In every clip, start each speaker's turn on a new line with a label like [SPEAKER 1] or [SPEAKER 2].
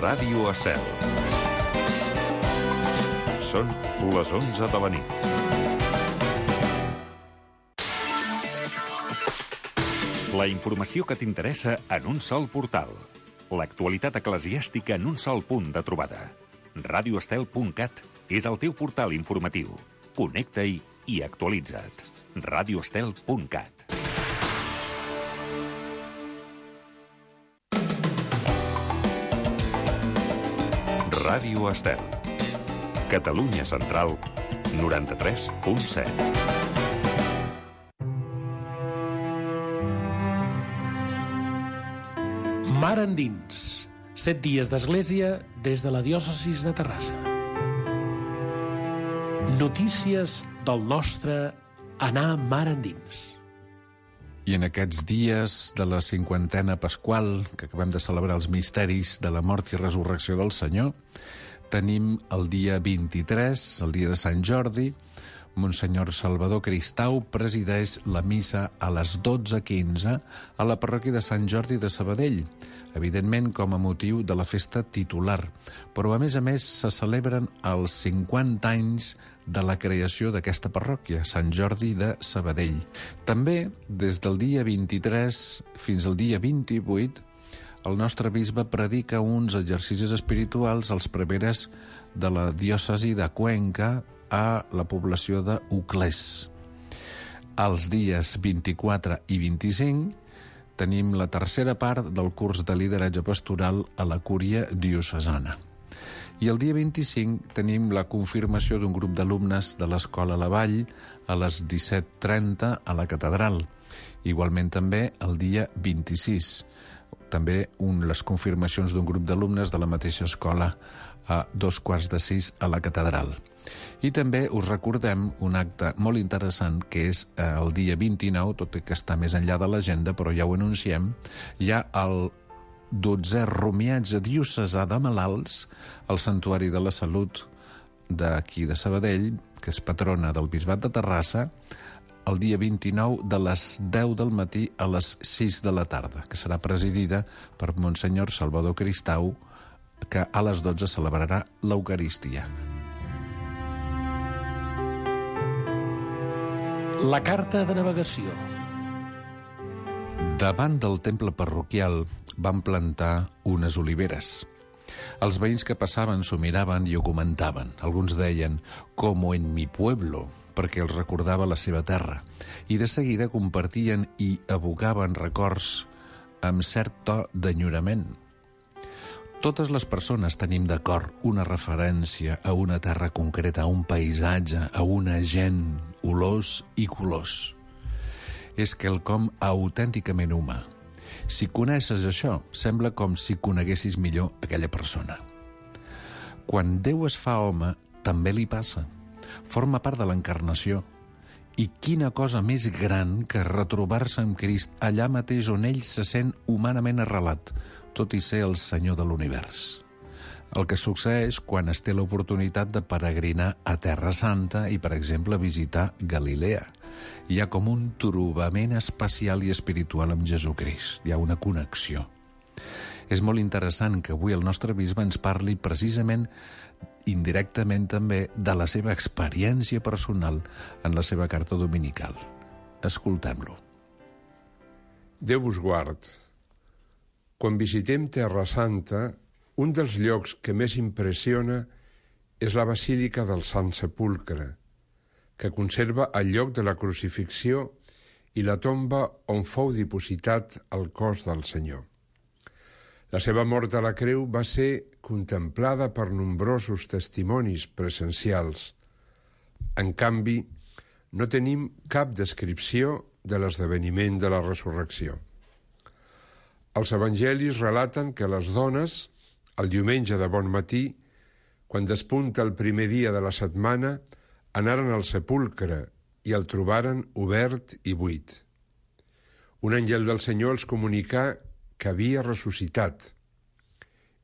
[SPEAKER 1] Ràdio Estel. Són les 11 de la nit. La informació que t'interessa en un sol portal. L'actualitat eclesiàstica en un sol punt de trobada. radioestel.cat és el teu portal informatiu. Connecta-hi i actualitza't. radioestel.cat. Ràdio Estel. Catalunya Central, 93.7.
[SPEAKER 2] Mar endins. 7 dies d'església des de la diòcesis de Terrassa. Notícies del nostre anar mar endins.
[SPEAKER 3] I en aquests dies de la 50a pasqual, que acabem de celebrar els misteris de la mort i resurrecció del Senyor, tenim el dia 23, el dia de Sant Jordi. Monsenyor Salvador Cristau presideix la missa a les 12:15 a la parròquia de Sant Jordi de Sabadell, evidentment com a motiu de la festa titular, però a més se celebren els 50 anys de la creació d'aquesta parròquia, Sant Jordi de Sabadell. També, des del dia 23 fins al dia 28, el nostre bisbe predica uns exercicis espirituals als preveres de la diòcesi de Cuenca a la població d'Uclés. Els dies 24 i 25 tenim la tercera part del curs de lideratge pastoral a la cúria diocesana. I el dia 25 tenim la confirmació d'un grup d'alumnes de l'Escola La Vall a les 17:30 a la catedral. Igualment també el dia 26. També les confirmacions d'un grup d'alumnes de la mateixa escola a 5:15 a la catedral. I també us recordem un acte molt interessant que és el dia 29, tot i que està més enllà de l'agenda, però ja ho anunciem, hi ha el 12è romiatge diocesà de malalts al Santuari de la Salut d'aquí de Sabadell, que és patrona del Bisbat de Terrassa, el dia 29 de les 10 del matí a les 6 de la tarda, que serà presidida per Monsenyor Salvador Cristau, que a les 12 celebrarà l'Eucaristia.
[SPEAKER 2] La carta de navegació.
[SPEAKER 3] Davant del temple parroquial van plantar unes oliveres. Els veïns que passaven s'ho miraven i ho comentaven. Alguns deien, «como en mi pueblo», perquè els recordava la seva terra. I de seguida compartien i evocaven records amb cert to d'enyorament. Totes les persones tenim d'acord una referència a una terra concreta, a un paisatge, a una gent, olors i colors. És quelcom autènticament humà. Si coneixes això, sembla com si coneguessis millor aquella persona. Quan Déu es fa home, també li passa. Forma part de l'encarnació. I quina cosa més gran que retrobar-se amb Crist allà mateix on ell se sent humanament arrelat, tot i ser el Senyor de l'univers. El que succeeix quan es té l'oportunitat de peregrinar a Terra Santa i, per exemple, visitar Galilea. Hi ha com un trobament especial i espiritual amb Jesucrist. Hi ha una connexió. És molt interessant que avui el nostre bisbe ens parli precisament, indirectament també, de la seva experiència personal en la seva carta dominical. Escoltem-lo.
[SPEAKER 4] Déu vos guard. Quan visitem Terra Santa, un dels llocs que més impressiona és la Basílica del Sant Sepulcre, que conserva el lloc de la crucifixió i la tomba on fou dipositat el cos del Senyor. La seva mort a la creu va ser contemplada per nombrosos testimonis presencials. En canvi, no tenim cap descripció de l'esdeveniment de la resurrecció. Els evangelis relaten que les dones, el diumenge de bon matí, quan despunta el primer dia de la setmana, anaren al sepulcre i el trobaren obert i buit. Un àngel del Senyor els comunicà que havia ressuscitat.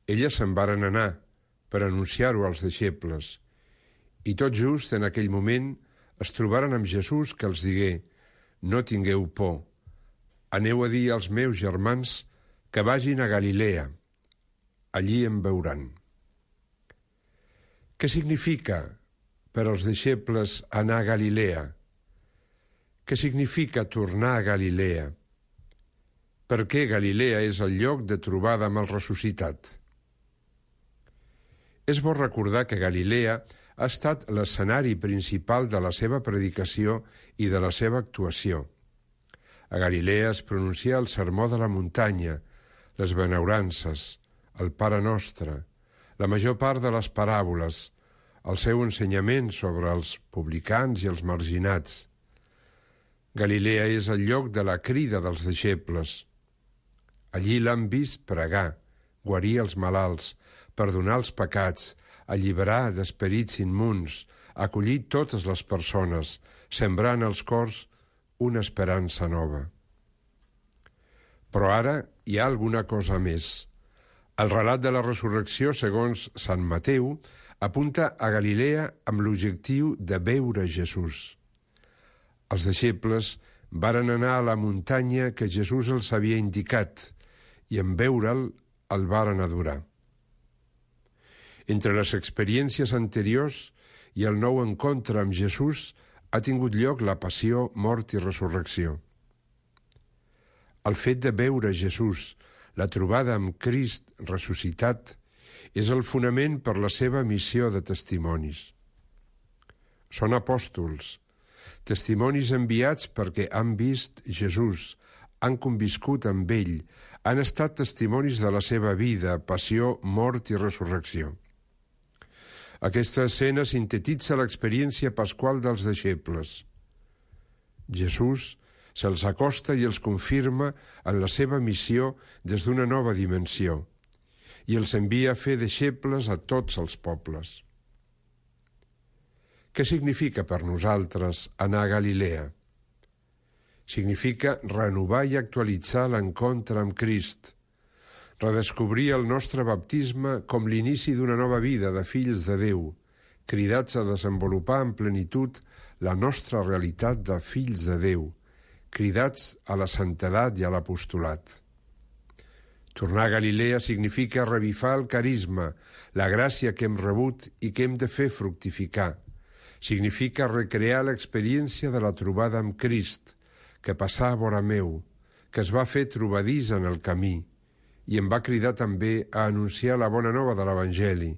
[SPEAKER 4] Elles se'n varen anar per anunciar-ho als deixebles i tot just en aquell moment es trobaren amb Jesús que els digué: «No tingueu por, aneu a dir als meus germans que vagin a Galilea. allí em veuran. Què significa per als deixebles anar a Galilea? Què significa tornar a Galilea? Per què Galilea és el lloc de trobada amb el ressuscitat? És bo recordar que Galilea ha estat l'escenari principal de la seva predicació i de la seva actuació. A Galilea es pronuncia el sermó de la muntanya, les benaurances, el Pare Nostre, la major part de les paràboles, el seu ensenyament sobre els publicans i els marginats. Galilea és el lloc de la crida dels deixebles. Allí l'han vist pregar, guarir els malalts, perdonar els pecats, alliberar d'esperits immunds, acollir totes les persones, sembrar en els cors una esperança nova. Però ara hi ha alguna cosa més. El relat de la resurrecció, segons Sant Mateu, apunta a Galilea amb l'objectiu de veure Jesús. Els deixebles varen anar a la muntanya que Jesús els havia indicat i en veure'l el varen adorar. Entre les experiències anteriors i el nou encontre amb Jesús ha tingut lloc la passió, mort i resurrecció. El fet de veure Jesús, la trobada amb Crist ressuscitat, és el fonament per la seva missió de testimonis. Són apòstols, testimonis enviats perquè han vist Jesús, han conviscut amb ell, han estat testimonis de la seva vida, passió, mort i resurrecció. Aquesta escena sintetitza l'experiència pasqual dels deixebles. Jesús se'ls acosta i els confirma en la seva missió des d'una nova dimensió i els envia a fer deixebles a tots els pobles. Què significa per nosaltres anar a Galilea? Significa renovar i actualitzar l'encontre amb Crist, redescobrir el nostre baptisme com l'inici d'una nova vida de fills de Déu, cridats a desenvolupar en plenitud la nostra realitat de fills de Déu, cridats a la santedat i a l'apostolat. Tornar a Galilea significa revifar el carisma, la gràcia que hem rebut i que hem de fer fructificar. Significa recrear l'experiència de la trobada amb Crist, que passà a vora meu, que es va fer trobadís en el camí, i em va cridar també a anunciar la bona nova de l'Evangeli,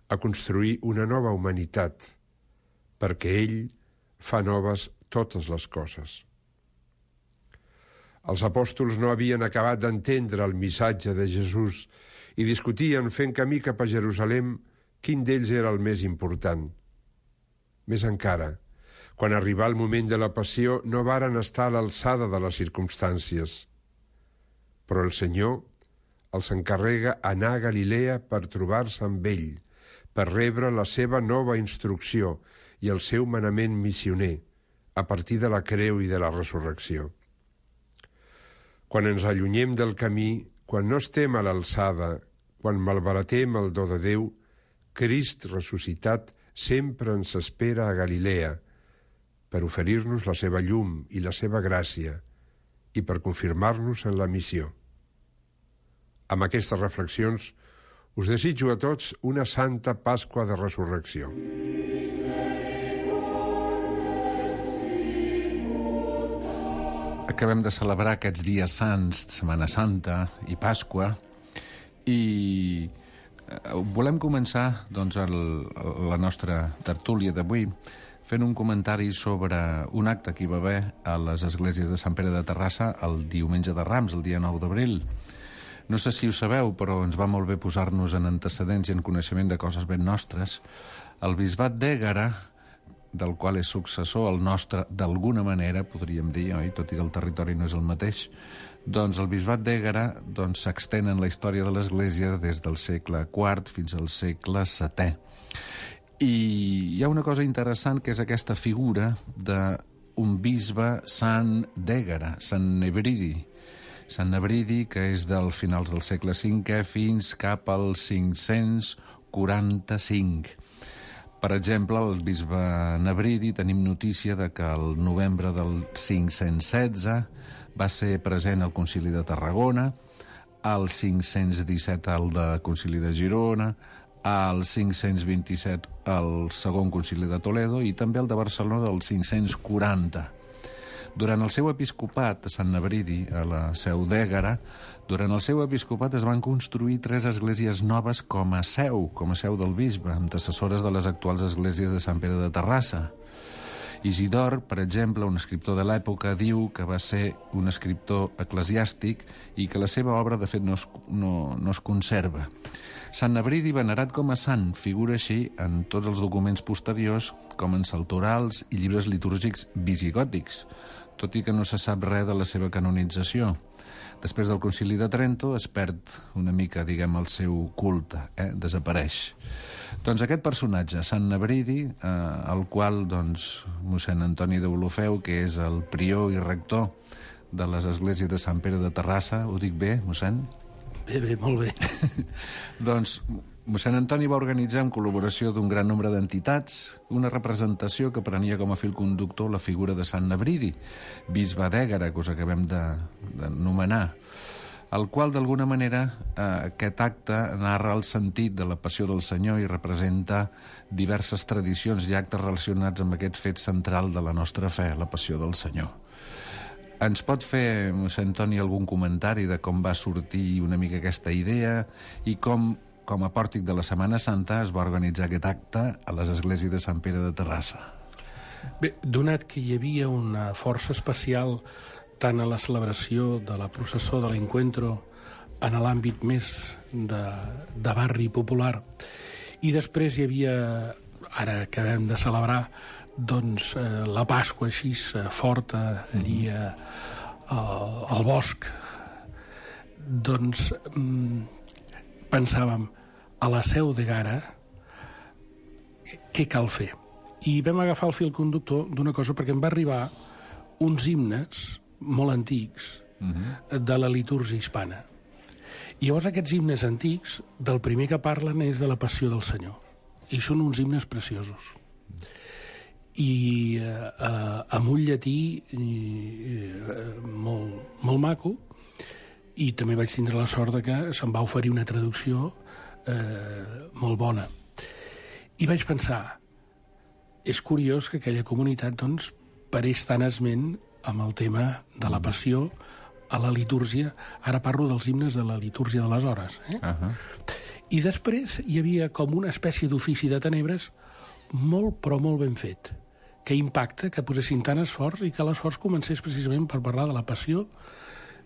[SPEAKER 4] a construir una nova humanitat, perquè ell fa noves totes les coses. Els apòstols no havien acabat d'entendre el missatge de Jesús i discutien fent camí cap a Jerusalem quin d'ells era el més important. Més encara, quan arribà el moment de la passió no varen estar a l'alçada de les circumstàncies. Però el Senyor els encarrega anar a Galilea per trobar-se amb ell, per rebre la seva nova instrucció i el seu manament missioner, a partir de la creu i de la resurrecció. Quan ens allunyem del camí, quan no estem a l'alçada, quan malbaratem el do de Déu, Crist ressuscitat sempre ens espera a Galilea per oferir-nos la seva llum i la seva gràcia i per confirmar-nos en la missió. Amb aquestes reflexions us desitjo a tots una santa Pasqua de Resurrecció.
[SPEAKER 3] Acabem de celebrar aquests dies sants, Setmana Santa i Pasqua, i volem començar doncs, la nostra tertúlia d'avui fent un comentari sobre un acte que hi va haver a les esglésies de Sant Pere de Terrassa el diumenge de Rams, el dia 9 d'abril. No sé si ho sabeu, però ens va molt bé posar-nos en antecedents i en coneixement de coses ben nostres. El bisbat d'Ègara, del qual és successor el nostre, d'alguna manera, podríem dir, oi? Tot i que el territori no és el mateix, doncs el bisbat d'Ègara s'extén en la història de l'Església des del segle IV fins al segle VII. I hi ha una cosa interessant, que és aquesta figura d'un bisbe sant d'Ègara, Sant Nebridi. Sant Nebridi, que és del finals del segle V fins cap al 545. Per exemple, el bisbe Nebridi tenim notícia de que el novembre del 516 va ser present al Concili de Tarragona, al 517 el de Concili de Girona, al 527 el segon Concili de Toledo i també el de Barcelona del 540. Durant el seu episcopat a Sant Nebridi, a la Seu d'Ègara, durant el seu episcopat es van construir 3 esglésies noves com a seu del bisbe, antecessores de les actuals esglésies de Sant Pere de Terrassa. Isidor, per exemple, un escriptor de l'època, diu que va ser un escriptor eclesiàstic i que la seva obra, de fet, no es conserva. Sant Nebridi, venerat com a sant, figura així en tots els documents posteriors, com en saltorals i llibres litúrgics visigòtics, tot i que no se sap res de la seva canonització. Després del Concili de Trento es perd una mica, diguem, el seu culte, desapareix. Doncs aquest personatge, Sant Nebridi, el qual, doncs, mossèn Antoni d'Olofeu, que és el prior i rector de les esglésies de Sant Pere de Terrassa, ho dic bé, mossèn?
[SPEAKER 2] Bé, molt bé.
[SPEAKER 3] Doncs mossèn Antoni va organitzar, en col·laboració d'un gran nombre d'entitats, una representació que prenia com a fil conductor la figura de Sant Nebridi, bisbe d'Ègara, que us acabem d'anomenar, el qual, d'alguna manera, aquest acte narra el sentit de la passió del Senyor i representa diverses tradicions i actes relacionats amb aquest fet central de la nostra fe, la passió del Senyor. Ens pot fer, mossèn Antoni, algun comentari de com va sortir una mica aquesta idea i com a pòrtic de la Setmana Santa es va organitzar aquest acte a les esglésies de Sant Pere de Terrassa?
[SPEAKER 2] Bé, donat que hi havia una força especial tant a la celebració de la processó de l'Encuentro en l'àmbit més de barri popular, i després hi havia, ara acabem de celebrar, doncs la Pasqua així forta allí al bosc, doncs pensàvem, a la Seu d'Ègara, què cal fer? I vam agafar el fil conductor d'una cosa, perquè em va arribar uns himnes molt antics de la litúrgia hispana. I llavors aquests himnes antics, del primer que parlen és de la passió del Senyor. I són uns himnes preciosos. I amb un llatí molt maco, i també vaig tindre la sort que se'm va oferir una traducció molt bona. I vaig pensar, és curiós que aquella comunitat doncs, pareix tan esment amb el tema de la passió a la litúrgia. Ara parlo dels himnes de la litúrgia de les hores. I després hi havia com una espècie d'ofici de tenebres molt, però molt ben fet, que impacta, que posessin tant esforç i que l'esforç comencés precisament per parlar de la passió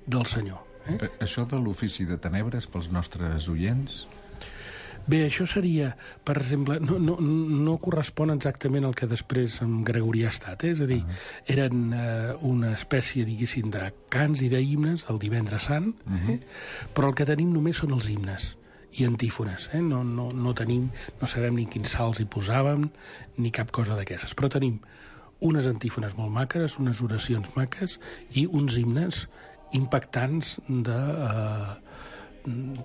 [SPEAKER 2] del Senyor.
[SPEAKER 3] Això de l'ofici de tenebres pels nostres oients?
[SPEAKER 2] Bé, això seria, per exemple, no correspon exactament al que després en Gregorià ha estat, és a dir, eren una espècie, diguéssim, de cants i d'himnes el divendres sant, però el que tenim només són els himnes i antífones, no tenim, no sabem ni quins salts hi posàvem, ni cap cosa d'aquestes, però tenim unes antífones molt maques, unes oracions maques i uns himnes impactants de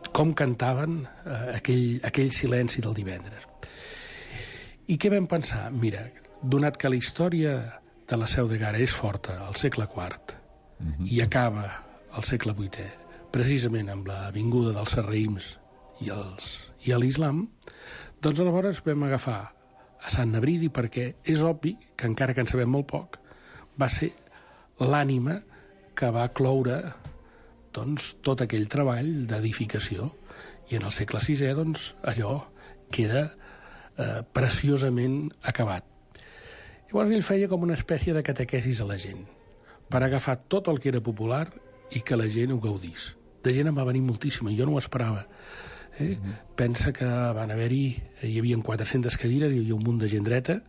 [SPEAKER 2] com cantaven aquell silenci del divendres. I què vam pensar? Mira, donat que la història de la Seu d'Ègara és forta al segle IV i acaba al segle VIII, precisament amb la vinguda dels sarraïms i l'islam, doncs aleshores vam agafar a Sant Nebridi perquè és obvi que, encara que en sabem molt poc, va ser l'ànima que va cloure doncs, tot aquell treball d'edificació. I en el segle VI, doncs, allò queda preciosament acabat. Llavors ell feia com una espècie de catequesis a la gent, per agafar tot el que era popular i que la gent ho gaudís. De gent en va venir moltíssima, jo no ho esperava. Pensa que van hi havia 400 cadires, hi havia un munt de gent dreta,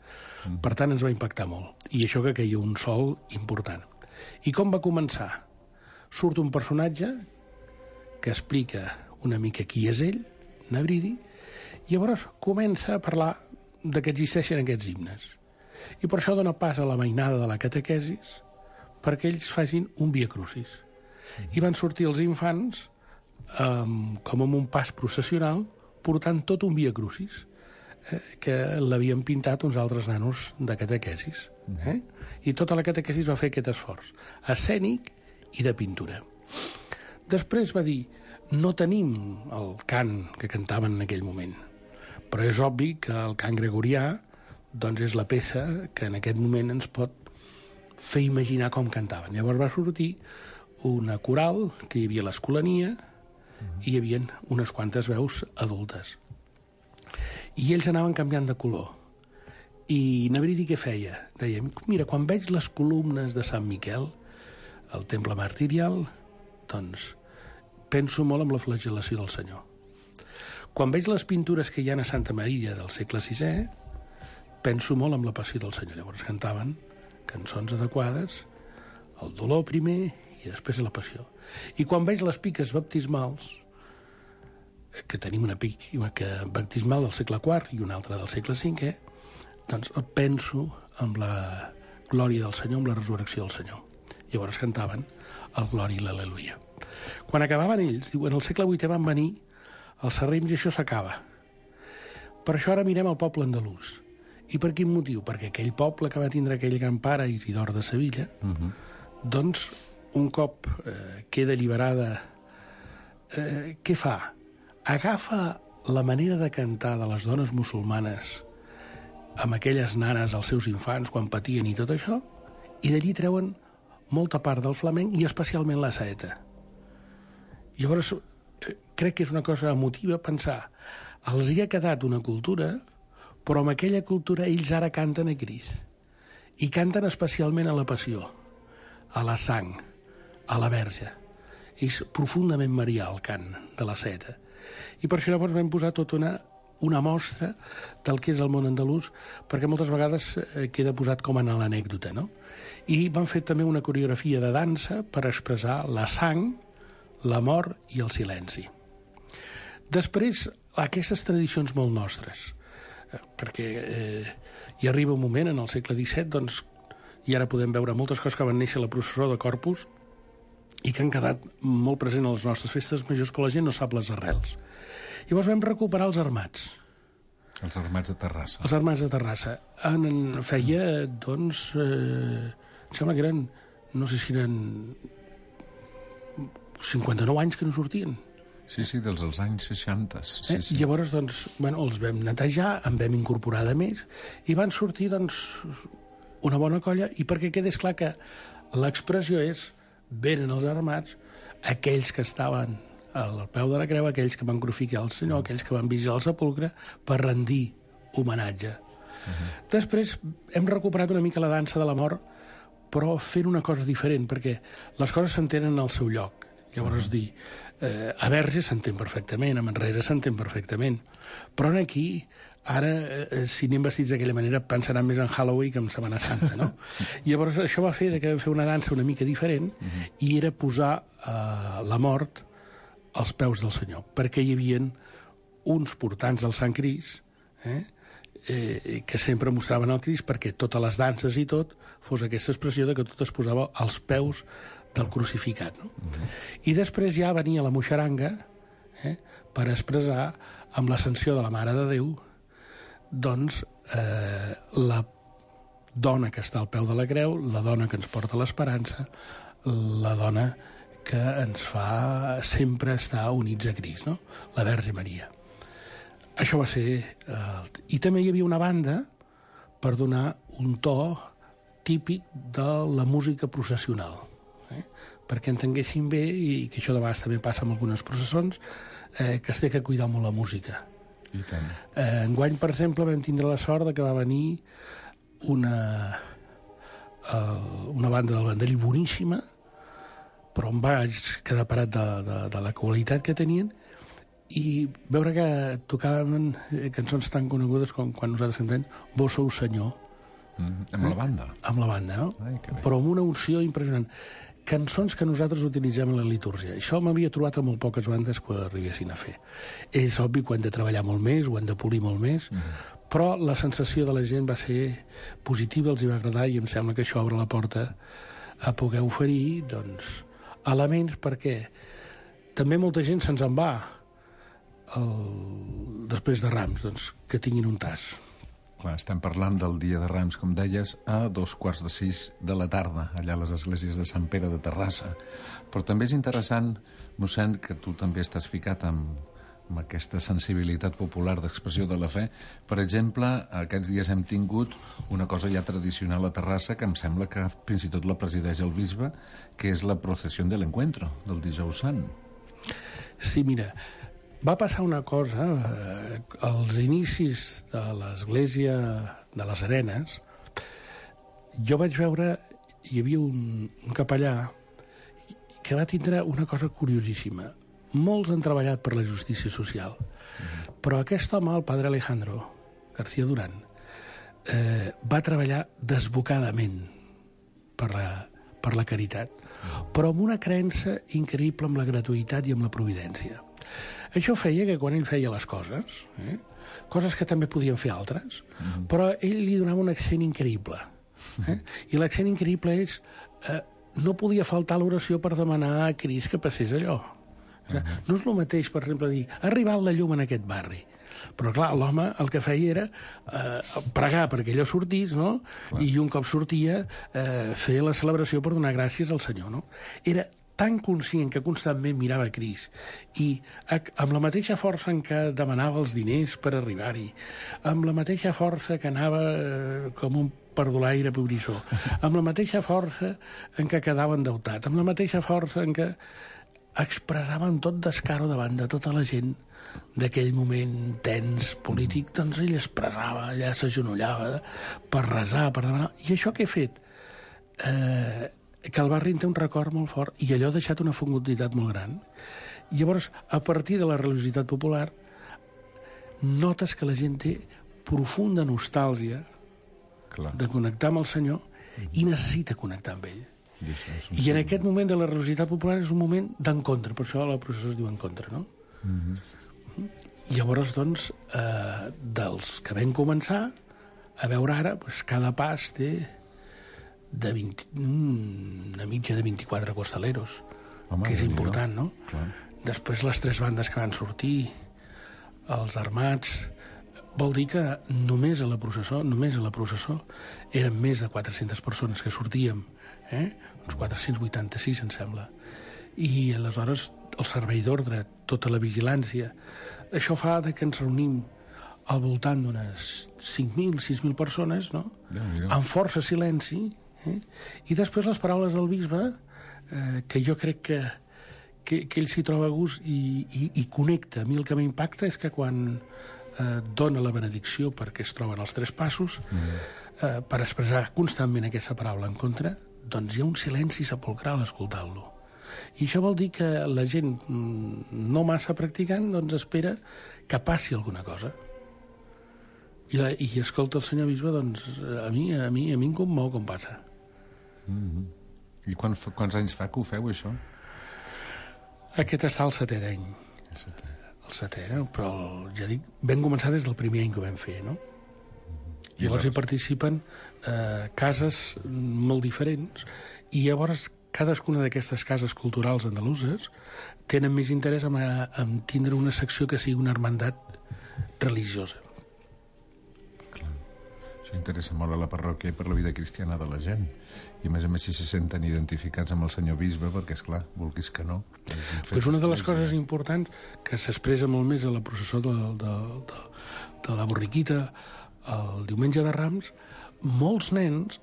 [SPEAKER 2] per tant ens va impactar molt. I això que queia un sol important. I com va començar? Surt un personatge que explica una mica qui és ell, Nebridi, i llavors comença a parlar de que existeixen aquests himnes. I per això dona pas a la mainada de la catequesis perquè ells facin un Via Crucis. I van sortir els infants com amb un pas processional portant tot un Via Crucis que l'havien pintat uns altres nanos de catequesis. I tota la catequesis va fer aquest esforç escènic i de pintura. Després va dir, No tenim el cant que cantaven en aquell moment, però és obvi que el cant gregorià doncs és la peça que en aquest moment ens pot fer imaginar com cantaven. Llavors va sortir una coral, que hi havia l'escolania, i hi havia unes quantes veus adultes. I ells anaven canviant de color. I Nebridi què feia? Deia, mira, quan veig les columnes de Sant Miquel, el temple martirial, doncs penso molt en la flagel·lació del Senyor. Quan veig les pintures que hi ha a Santa Maria del segle VI, penso molt en la passió del Senyor. Llavors cantaven cançons adequades, el dolor primer i després la passió. I quan veig les piques baptismals, que tenim una pica baptismal del segle IV i una altra del segle V, doncs penso en la glòria del Senyor, en la resurrecció del Senyor. Llavors cantaven el glòria i l'al·leluia. Quan acabaven ells, diuen, al segle VIII van venir els sarrims i això s'acaba. Per això ara mirem el poble andalús. I per quin motiu? Perquè aquell poble que va tindre aquell gran pare, Isidor de Sevilla, doncs, un cop queda alliberada, què fa? Agafa la manera de cantar de les dones musulmanes amb aquelles nanes, els seus infants, quan patien i tot això, i d'allí treuen molta part del flamenc i especialment la saeta. Llavors, crec que és una cosa emotiva pensar, els hi ha quedat una cultura, però amb aquella cultura ells ara canten a Crist. I canten especialment a la passió, a la sang, a la verge. És profundament marià el cant de la saeta. I per això llavors vam posar tota una mostra del que és el món andalús, perquè moltes vegades queda posat com en l'anècdota, no? I van fer també una coreografia de dansa per expressar la sang, l'amor i el silenci. Després, aquestes tradicions molt nostres, perquè hi arriba un moment en el segle XVII, doncs, i ara podem veure moltes coses que van néixer a la processó de Corpus i que han quedat molt presents a les nostres festes majors, que la gent no sap les arrels. Llavors vam recuperar els armats.
[SPEAKER 3] Els armats de Terrassa.
[SPEAKER 2] Els armats de Terrassa. Feia, doncs, em sembla que eren, no sé si eren 59 anys que no sortien.
[SPEAKER 3] Sí, dels anys 60. Sí.
[SPEAKER 2] Llavors, doncs, els vam netejar, en vam incorporar de més, i van sortir, doncs, una bona colla, i perquè quedés clar que l'expressió és, venen els armats, aquells que estaven al peu de la creu, aquells que van crucificar el Senyor, aquells que van vigilar el sepulcre, per rendir homenatge. Després hem recuperat una mica la dansa de la mort, però fent una cosa diferent, perquè les coses s'entenen al seu lloc. Llavors dir, a Verge s'entén perfectament, a Manresa s'entén perfectament, però aquí, ara, si anem vestits d'aquella manera, pensaran més en Halloween que en Setmana Santa, no? Llavors això va fer que vam fer una dansa una mica diferent, i era posar la mort als peus del Senyor, perquè hi havia uns portants del Sant Crist, que sempre mostraven el Crist, perquè totes les danses i tot fos aquesta expressió de que tot es posava als peus del crucificat. No? I després ja venia la moixaranga per expressar, amb l'ascensió de la Mare de Déu, doncs la dona que està al peu de la creu, la dona que ens porta l'esperança, la dona que ens fa sempre estar units a Crist, no? La Verge Maria. Això va ser... I també hi havia una banda per donar un to típic de la música processional, perquè entenguessin bé, i que això de vegades també passa amb algunes processons, que es té que cuidar molt la música.
[SPEAKER 3] I tant.
[SPEAKER 2] Enguany, per exemple, vam tindre la sort que va venir una banda del Vendrell boníssima, però em vaig quedar parat de la qualitat que tenien, i veure que tocaven cançons tan conegudes com quan nosaltres cantem Vós sou Senyor.
[SPEAKER 3] Amb la banda?
[SPEAKER 2] Amb la banda, no?
[SPEAKER 3] Ai, que bé.
[SPEAKER 2] Però amb una unció impressionant. Cançons que nosaltres utilitzem en la litúrgia. Això m'havia trobat a molt poques bandes que ho arribessin a fer. És obvi que ho hem de treballar molt més, ho hem de polir molt més, però la sensació de la gent va ser positiva, els hi va agradar, i em sembla que això obre la porta a poder oferir, doncs, elements, perquè també molta gent se'ns en va després de Rams, doncs, que tinguin un tas.
[SPEAKER 3] Clar, estem parlant del dia de Rams, com deies, a 5:15 de la tarda, allà a les esglésies de Sant Pere de Terrassa. Però també és interessant, mossèn, que tu també estàs ficat amb aquesta sensibilitat popular d'expressió de la fe. Per exemple, aquests dies hem tingut una cosa ja tradicional a Terrassa que em sembla que fins i tot la presideix el bisbe, que és la procesión del encuentro, del dijous sant.
[SPEAKER 2] Sí, mira, va passar una cosa als inicis de l'església de les Arenes. Jo vaig veure, hi havia un capellà que va tindre una cosa curiosíssima. Molts han treballat per la justícia social, però aquest home, el padre Alejandro García Durán, va treballar desbocadament per la caritat, però amb una creença increïble amb la gratuïtat i amb la providència. Això feia que quan ell feia les coses, coses que també podien fer altres, però ell li donava un accent increïble. I l'accent increïble és no podia faltar l'oració per demanar a Crist que passés allò. No és el mateix, per exemple, dir ha arribat la llum en aquest barri. Però, clar, l'home el que feia era pregar perquè allò sortís, no? I un cop sortia, fer la celebració per donar gràcies al Senyor, no? Era tan conscient que constantment mirava a Crist i amb la mateixa força en què demanava els diners per arribar-hi, amb la mateixa força que anava com un perdulaire pobrissó, amb la mateixa força en què quedava endeutat, amb la mateixa força en què expressava amb tot descaro davant de tota la gent d'aquell moment tens polític, doncs ell expressava, allà s'agenollava per resar, per demanar. I això que he fet? Que el barri en té un record molt fort i allò ha deixat una fecunditat molt gran. I llavors, a partir de la religiositat popular, notes que la gent té profunda nostàlgia de connectar amb el Senyor i necessita connectar amb ell. I en aquest moment de la religiositat popular és un moment d'encontre, per això la processó es diu encontre, no? I llavors, doncs, dels que vam començar a veure ara, doncs, cada pas té una mitja de 24 costaleros, que és important, no? Després les 3 bandes que van sortir, els armats. Vol dir que només a la processó eren més de 400 persones que sortíem, uns 486, em sembla. I aleshores el servei d'ordre, tota la vigilància. Això fa que ens reunim al voltant d'unes 5.000, 6.000 persones, no? Amb força silenci, i després les paraules del bisbe, que jo crec que ell s'hi troba a gust i connecta. A mi el que m'impacta és que quan dona la benedicció perquè es troben els 3 passos, per expressar constantment aquesta paraula en contra, doncs hi ha un silenci sepulcral escoltant-lo. I això vol dir que la gent no massa practicant doncs espera que passi alguna cosa. I escolta el senyor bisbe, doncs a mi em commou com passa.
[SPEAKER 3] I quants anys fa que ho feu, això?
[SPEAKER 2] Aquest està el 7è any. El 7è, però ja dic, vam començar des del primer any que ho vam fer, no? I llavors hi participen cases molt diferents i llavors cadascuna d'aquestes cases culturals andaluses tenen més interès en tindre una secció que sigui una hermandat religiosa.
[SPEAKER 3] Clar. Això interessa molt a la parròquia i per la vida cristiana de la gent. I a més si se senten identificats amb el senyor bisbe, perquè, esclar, vulguis que no.
[SPEAKER 2] Pues una de les coses importants que s'expressa molt més a la processó de la borriquita el diumenge de Rams, molts nens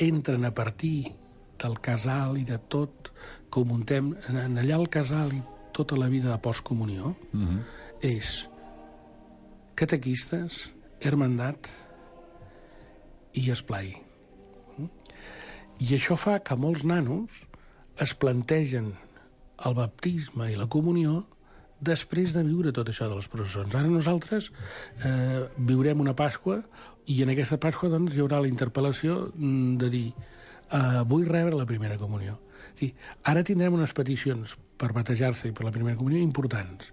[SPEAKER 2] entren a partir del casal i de tot que ho muntem, allà al casal i tota la vida de postcomunió, és catequistes, hermandat i esplai. I això fa que molts nanos es plantegen el baptisme i la comunió després de viure tot això de les processons. Ara nosaltres viurem una Pasqua i en aquesta Pasqua doncs, hi haurà la interpel·lació de dir vull rebre la primera comunió. Sí, ara tindrem unes peticions per batejar-se i per la primera comunió importants.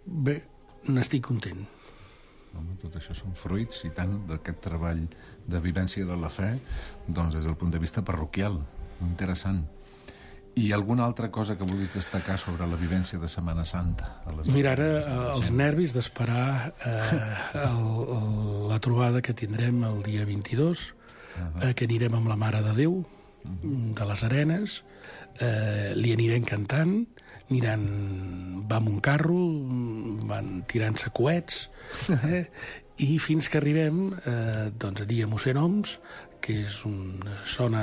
[SPEAKER 2] Bé, n'estic content.
[SPEAKER 3] Tot això són fruits, i tant, d'aquest treball de vivència de la fe, doncs des del punt de vista parroquial. Interessant. I alguna altra cosa que vulguis destacar sobre la vivència de Setmana Santa?
[SPEAKER 2] Mira, ara els nervis d'esperar la trobada que tindrem el dia 22, que anirem amb la Mare de Déu de les Arenes, li anirem cantant, va amb un carro, van tirant-se coets, i fins que arribem doncs allí a Mossèn Oms, que és una zona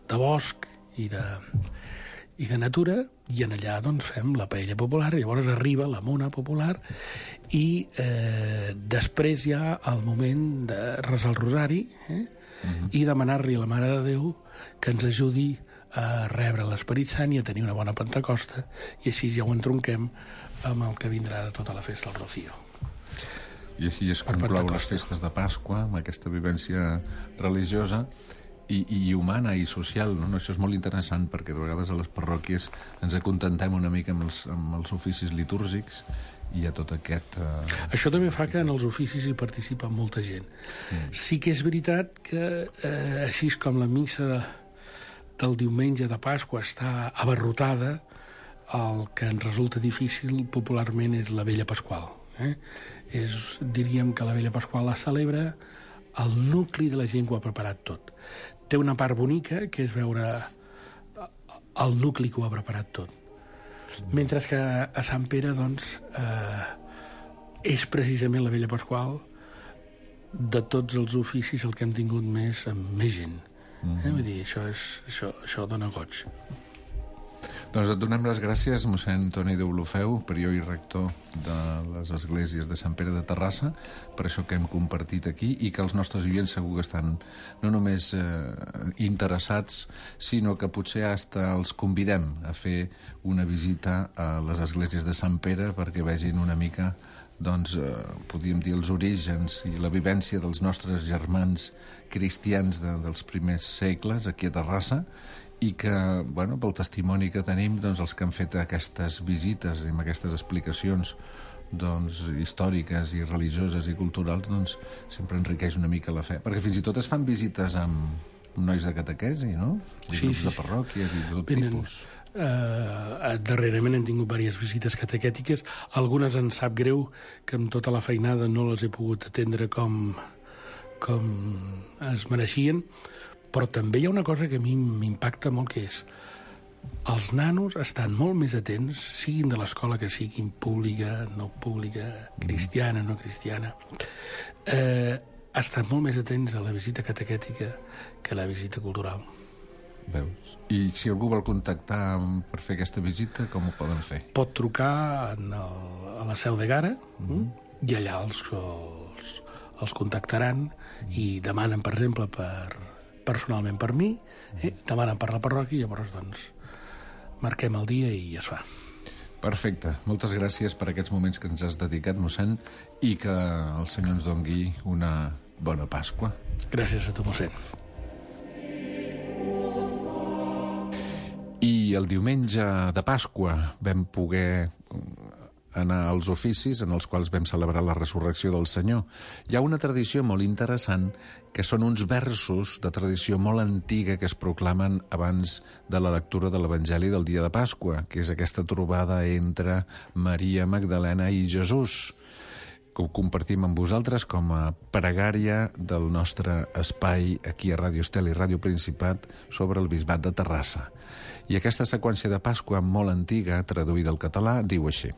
[SPEAKER 2] de bosc i de natura, i en allà doncs fem la paella popular, i llavors arriba la mona popular, i després hi ha el moment de resar el rosari, i demanar-li a la Mare de Déu que ens ajudi a rebre l'Esperit Sant i a tenir una bona Pentecosta, i així ja ho entronquem amb el que vindrà de tota la festa del Rocío.
[SPEAKER 3] I així es conclou les festes de Pasqua, amb aquesta vivència religiosa i humana i social, no? Això és molt interessant, perquè de vegades a les parròquies ens acontentem una mica amb els oficis litúrgics, i hi ha tot aquest...
[SPEAKER 2] Això també fa que en els oficis hi participa molta gent. Sí que és veritat que, així com la missa del diumenge de Pasqua està abarrotada, el que ens resulta difícil popularment és la Vella Pasqual. Diríem que la Vella Pasqual la celebra el nucli de la gent que ho ha preparat tot. Té una part bonica, que és veure el nucli que ho ha preparat tot. Mentre que a Sant Pere, doncs, és precisament la Vella Pasqual de tots els oficis el que hem tingut més gent. Vull dir, això dona goig.
[SPEAKER 3] Doncs et donem les gràcies, mossèn Toni Deulofeu, prior i rector de les esglésies de Sant Pere de Terrassa, per això que hem compartit aquí, i que els nostres oients segur que estan no només interessats, sinó que potser hasta els convidem a fer una visita a les esglésies de Sant Pere perquè vegin una mica, doncs, podríem dir, els orígens i la vivència dels nostres germans cristians dels primers segles aquí a Terrassa, i que, bueno, pel testimoni que tenim, doncs, els que han fet aquestes visites i amb aquestes explicacions, doncs, històriques i religioses i culturals, doncs, sempre enriqueix una mica la fe. Perquè fins i tot es fan visites amb nois de catequesi, no?
[SPEAKER 2] Sí.
[SPEAKER 3] De parròquies i de tot tipus.
[SPEAKER 2] Darrerament hem tingut diverses visites catequètiques. Algunes ens sap greu que amb tota la feinada no les he pogut atendre com es mereixien, però també hi ha una cosa que a mi m'impacta molt, que és els nanos estan molt més atents, siguin de l'escola que siguin, pública, no pública, cristiana, no cristiana, estan molt més atents a la visita catequètica que a la visita cultural.
[SPEAKER 3] Veus? I si algú vol contactar per fer aquesta visita, com ho poden fer?
[SPEAKER 2] Pot trucar a la Seu de Gara, i allà els contactaran i demanen, per exemple, personalment per mi, demanen per la parròquia, i llavors doncs marquem el dia i es fa.
[SPEAKER 3] Perfecte. Moltes gràcies per aquests moments que ens has dedicat, mossèn, i que el Senyor ens dongui una bona Pasqua.
[SPEAKER 2] Gràcies a tu, mossèn.
[SPEAKER 3] I el diumenge de Pasqua vam poder anar als oficis en els quals vam celebrar la resurrecció del Senyor. Hi ha una tradició molt interessant, que són uns versos de tradició molt antiga que es proclamen abans de la lectura de l'Evangeli del dia de Pasqua, que és aquesta trobada entre Maria Magdalena i Jesús, que ho compartim amb vosaltres com a pregària del nostre espai aquí a Ràdio Estel i Ràdio Principat sobre el Bisbat de Terrassa. I aquesta seqüència de Pasqua molt antiga, traduïda al català, diu així: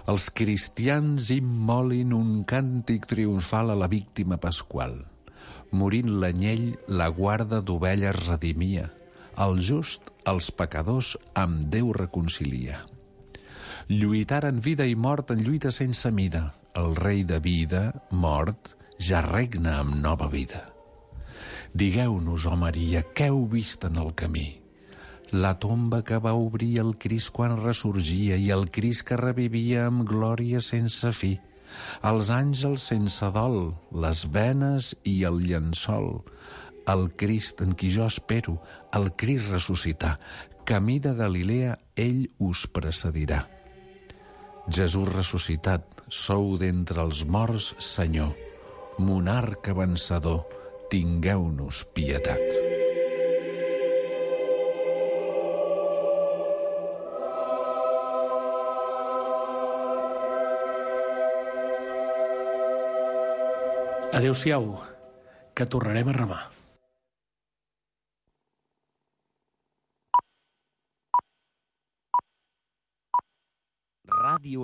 [SPEAKER 3] els cristians immolin un càntic triomfal a la víctima pasqual. Morint l'anyell, la guarda d'ovelles redimia. El just, els pecadors, amb Déu reconcilia. Lluitaren vida i mort en lluita sense mida. El rei de vida, mort, ja regna amb nova vida. Digueu-nos, oh Maria, què heu vist en el camí? La tomba que va obrir el Crist quan ressorgia i el Crist que revivia amb glòria sense fi. Els àngels sense dol, les venes i el llençol. El Crist en qui jo espero, el Crist ressuscitar. Camí de Galilea, ell us precedirà. Jesús ressuscitat, sou d'entre els morts, Senyor. Monarca vencedor, tingueu-nos pietat.
[SPEAKER 2] Adéu-siau, que tornarem a remar.